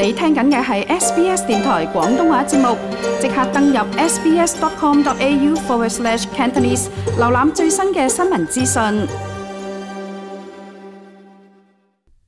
你聽緊嘅係 SBS 電台廣東話節目，即刻登入 sbs.com.au/Cantonese 瀏覽最新嘅新聞資訊。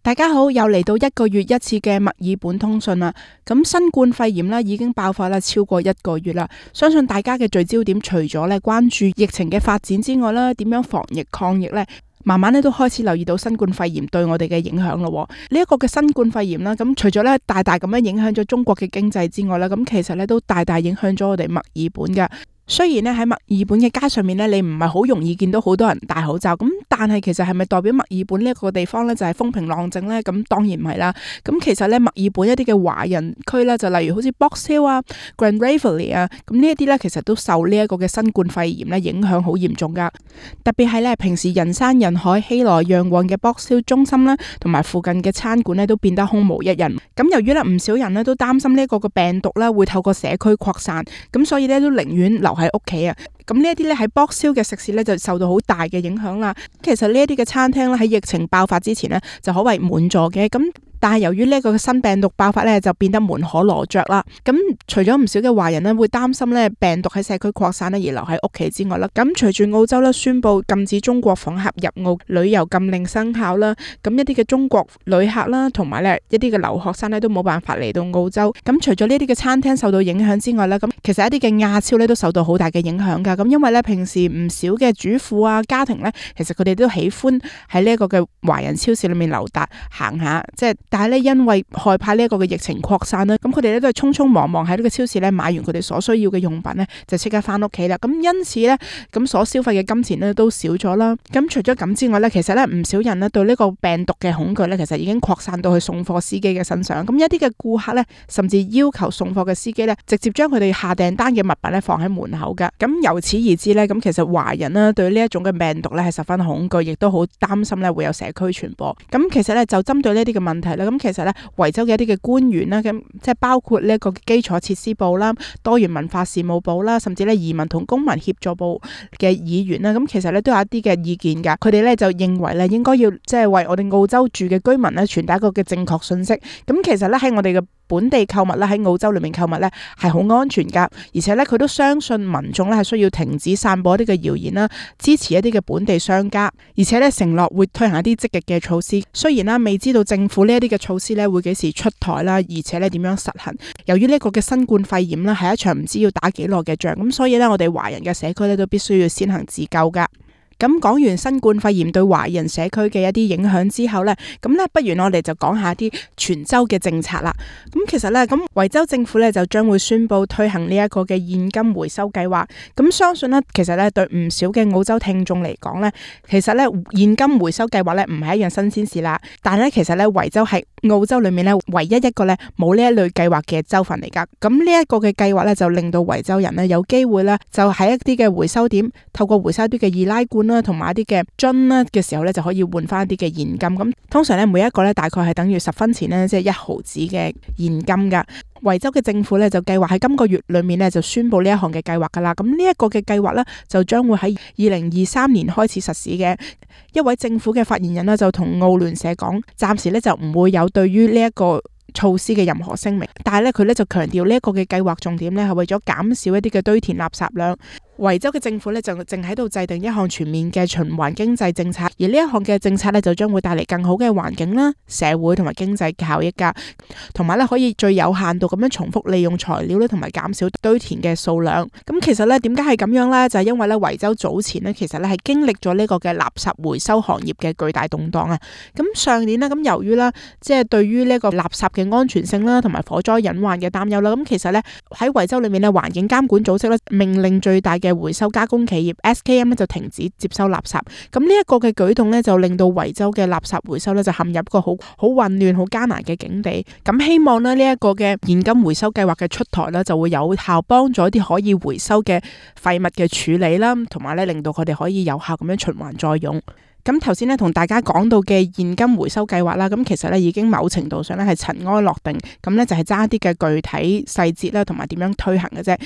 大家好，又嚟到1個月一次嘅墨爾本通訊啦。咁新冠肺炎已經爆發超過1個月啦。相信大家嘅聚焦點除咗關注疫情嘅發展之外啦，點樣防疫抗疫呢？慢慢都開始留意到新冠肺炎對我哋嘅影響咯。呢一個嘅新冠肺炎啦，咁除咗大大咁樣影響咗中國嘅經濟之外啦，咁其實都大大影響咗我哋墨爾本噶。雖然喺墨爾本嘅街上面你唔係好容易見到好多人戴口罩，咁但係其實係咪代表墨爾本呢一個地方就係風平浪靜呢？咁當然唔係啦。咁其實墨爾本一啲嘅華人區就例如好似 Box Hill 啊、Grand Waverley 啊，咁呢一啲其實都受呢一個嘅新冠肺炎影響好嚴重噶。特別係平時人山人海、熙來攘往嘅 Box Hill 中心啦，同埋附近嘅餐館都變得空無一人。咁由於唔少人都擔心呢一個嘅病毒會透過社區擴散，咁所以都寧願留喺屋企啊。咁呢一啲喺 Box Hill 嘅食肆就受到好大嘅影響啦。其實呢一啲嘅餐廳喺疫情爆發之前就可謂滿座嘅，咁但係由於呢一個新病毒爆發就變得門可羅雀啦。咁除咗唔少嘅華人會擔心病毒喺社區擴散而留喺屋企之外啦，咁隨住澳洲宣布禁止中國訪客入澳，旅遊禁令生效啦，咁一啲嘅中國旅客啦，同埋一啲嘅留學生都冇辦法嚟到澳洲。咁除咗呢啲嘅餐廳受到影響之外啦，咁其實一啲嘅亞超都受到好大嘅影響噶。咁因為平時唔少嘅主婦啊、家庭其實佢哋都喜歡喺呢一個嘅華人超市裏面溜達行下，但係因為害怕呢一個嘅疫情擴散啦，咁佢哋都係匆匆忙忙喺呢個超市買完佢哋所需要嘅用品就即刻翻屋企啦。咁因此咁所消費嘅金錢都少咗啦。咁除咗咁之外其實唔少人對呢個病毒嘅恐懼其實已經擴散到去送貨司機嘅身上。咁一啲嘅顧客甚至要求送貨嘅司機直接將佢哋下訂單嘅物品放喺門口噶。咁由此而知咁其實華人對呢一種嘅病毒係十分恐懼，亦都好擔心會有社區傳播。咁其實就針對呢啲嘅問題啦，咁其實維州嘅一啲嘅官員啦，咁即係包括呢一個基礎設施部啦、多元文化事務部啦，甚至移民同公民協助部嘅議員啦，咁其實都有一啲嘅意見噶。佢哋就認為應該要為我哋澳洲住嘅居民傳達一個嘅正確信息。咁其實喺我哋嘅本地購物喺澳洲裏面購物係好安全噶，而且佢都相信民眾係需要停止散播一啲嘅謠言啦，支持一啲嘅本地商家，而且承諾會推行一啲積極嘅措施。雖然未知道政府呢一啲嘅措施會幾時出台啦，而且點樣實行。由於呢個嘅新冠肺炎係一場唔知要打幾耐嘅仗，咁所以我哋華人嘅社區都必須要先行自救噶。咁講完新冠肺炎對華人社區嘅一啲影響之後咁不如我哋就講下啲全州嘅政策啦。咁其實咁維州政府就將會宣布推行呢一個嘅現金回收計劃。咁相信其實對唔少嘅澳洲聽眾嚟講其實現金回收計劃唔係一樣新鮮事啦。但係其實維州係澳洲裏面唯一一個冇呢一類計劃嘅州份嚟噶。咁呢一個嘅計劃就令到維州人有機會就喺一啲嘅回收點，透過回收啲嘅易拉罐同埋一啲嘅樽嘅時候就可以換翻一啲嘅現金。咁通常每一個大概係等於10分錢即係1毫子嘅現金噶。維州嘅政府就計劃喺今個月裏面就宣布呢一項嘅計劃噶啦。咁呢一個嘅計劃就將會喺2023年開始實施嘅。一位政府嘅發言人就同澳聯社講，暫時就唔會有對於呢一個措施嘅任何聲明，但係佢就強調呢一個嘅計劃重點係為咗減少一啲嘅堆填垃圾量。維州嘅政府就正喺度制定一項全面嘅循環經濟政策，而呢一項嘅政策就將會帶嚟更好嘅環境啦、社會同埋經濟效益噶，同埋可以最有限度咁樣重複利用材料同埋減少堆填嘅數量。咁其實點解係咁樣呢？就係因為維州早前其實係經歷咗呢個嘅垃圾回收行業嘅巨大動盪啊。咁上年咁由於即係對於呢個垃圾嘅安全性啦，同埋火災隱患嘅擔憂啦，咁其實喺維州裏面環境監管組織命令最大嘅回收加工企業 SKM 就停止接收垃圾。咁呢一個嘅舉動就令到維州嘅垃圾回收就陷入一個好混亂、好艱難嘅境地。咁希望呢一個嘅現金回收計劃嘅出台就會有效幫助一啲可以回收嘅廢物嘅處理啦，同埋令到佢哋可以有效咁樣循環再用。咁頭先同大家講到嘅現金回收計劃啦，咁其實已經某程度上係塵埃落定，咁就係爭一啲嘅具體細節啦，同埋點樣推行嘅啫。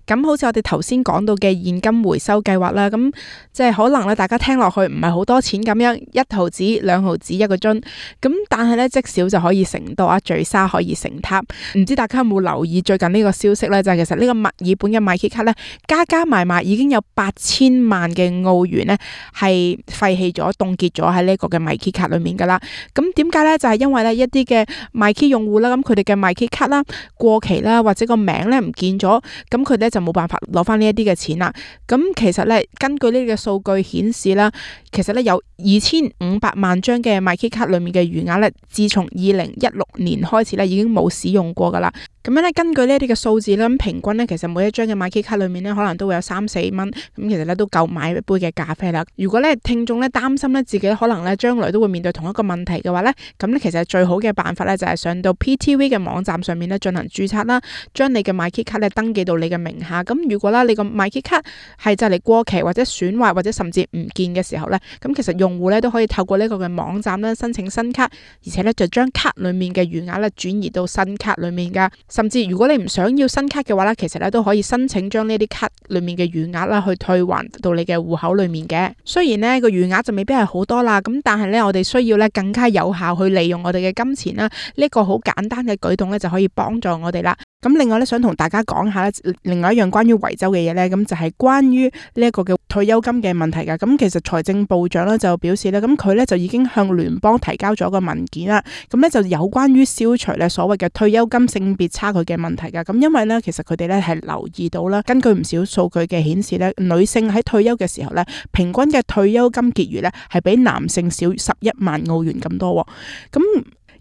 咁好似我哋頭先講到嘅現金回收計劃啦，咁即係可能咧大家聽落去唔係好多錢咁樣，1毫紙、2毫紙一個樽，咁但係咧積少就可以成多啊，聚沙可以成塔。唔知大家有冇留意最近呢個消息咧？就係其實呢個墨爾本嘅米奇卡咧，加埋已經有8000萬嘅澳元咧係廢棄咗、凍結咗喺呢個嘅米奇卡裏面噶啦。咁點解咧？就係因為咧一啲嘅米奇用戶啦，咁佢哋嘅米奇卡啦過期啦，或者個名咧唔見咗，咁佢咧就冇辦法攞翻呢一啲嘅錢啦。咁其實咧根據呢個數據顯示啦，其實咧有2500萬張嘅米奇卡裏面嘅餘額咧，自從2016年開始咧已經冇使用過噶啦。咁樣咧，根據呢一啲嘅數字咧，咁平均咧，其實每一張嘅米奇卡裏面咧，可能都會有3-4蚊，咁其實咧都夠買一杯嘅咖啡啦。如果咧聽眾咧擔心咧自己可能咧將來都會面對同一個問題嘅話咧，咁咧其實最好嘅辦法咧就係上到 PTV 嘅網站上面咧進行註冊啦，將你嘅米奇卡咧登記到你嘅名下。咁如果啦你個米奇卡係就嚟過期或者損壞或者甚至唔見嘅時候咧，咁其實用戶咧都可以透過呢個嘅網站咧申請新卡，而且咧就將卡裏面嘅餘額咧轉移到新卡裏面噶。甚至如果你唔想要新卡嘅話咧，其實咧都可以申請將呢啲卡裏面嘅餘額啦去退還到你嘅戶口裏面嘅。雖然呢個餘額就未必係好多啦，咁但係咧我哋需要咧更加有效去利用我哋嘅金錢啦。呢個好簡單嘅舉動咧就可以幫助我哋啦。咁另外咧想同大家講下咧，另外一樣關於維州嘅嘢咧，咁就係關於呢一個嘅退休金嘅問題噶。咁其實財政部長咧就表示咧，咁佢咧就已經向聯邦提交咗個文件啦。咁咧就有關於消除咧所謂嘅退休金性別差距嘅問題噶。咁因為咧其實佢哋咧係留意到啦，根據唔少數據嘅顯示咧，女性喺退休嘅時候咧，平均嘅退休金結餘咧係比男性少11萬澳元咁多。咁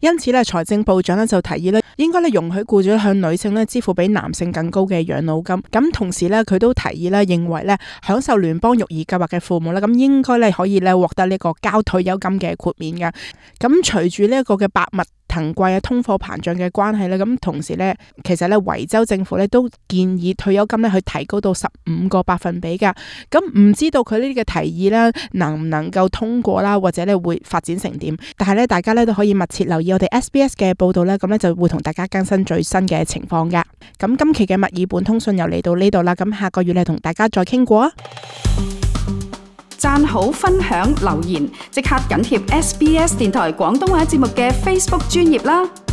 因此咧，財政部長咧就提議咧，應該咧容許僱主向女性咧支付比男性更高嘅養老金。咁同時咧，佢都提議咧，認為咧享受聯邦育兒計劃嘅父母咧，咁應該咧可以咧獲得呢個交退休金嘅豁免嘅。咁隨住呢一個嘅百物騰貴啊，通貨膨脹嘅關係咧，咁同時咧，其實咧維州政府咧都建議退休金咧去提高到15個百分比噶。咁唔知道佢呢啲嘅提議咧能唔能夠通過啦，或者咧會發展成點？但係咧，大家咧都可以密切留意我哋 SBS 嘅報道咧，咁咧就會同大家更新最新嘅情況噶。咁今期嘅墨爾本通訊又嚟到呢度啦，咁下個月咧同大家再傾過啊！讚好、分享、留言，即刻緊貼SBS 電台廣東話節目嘅 Facebook 專頁啦！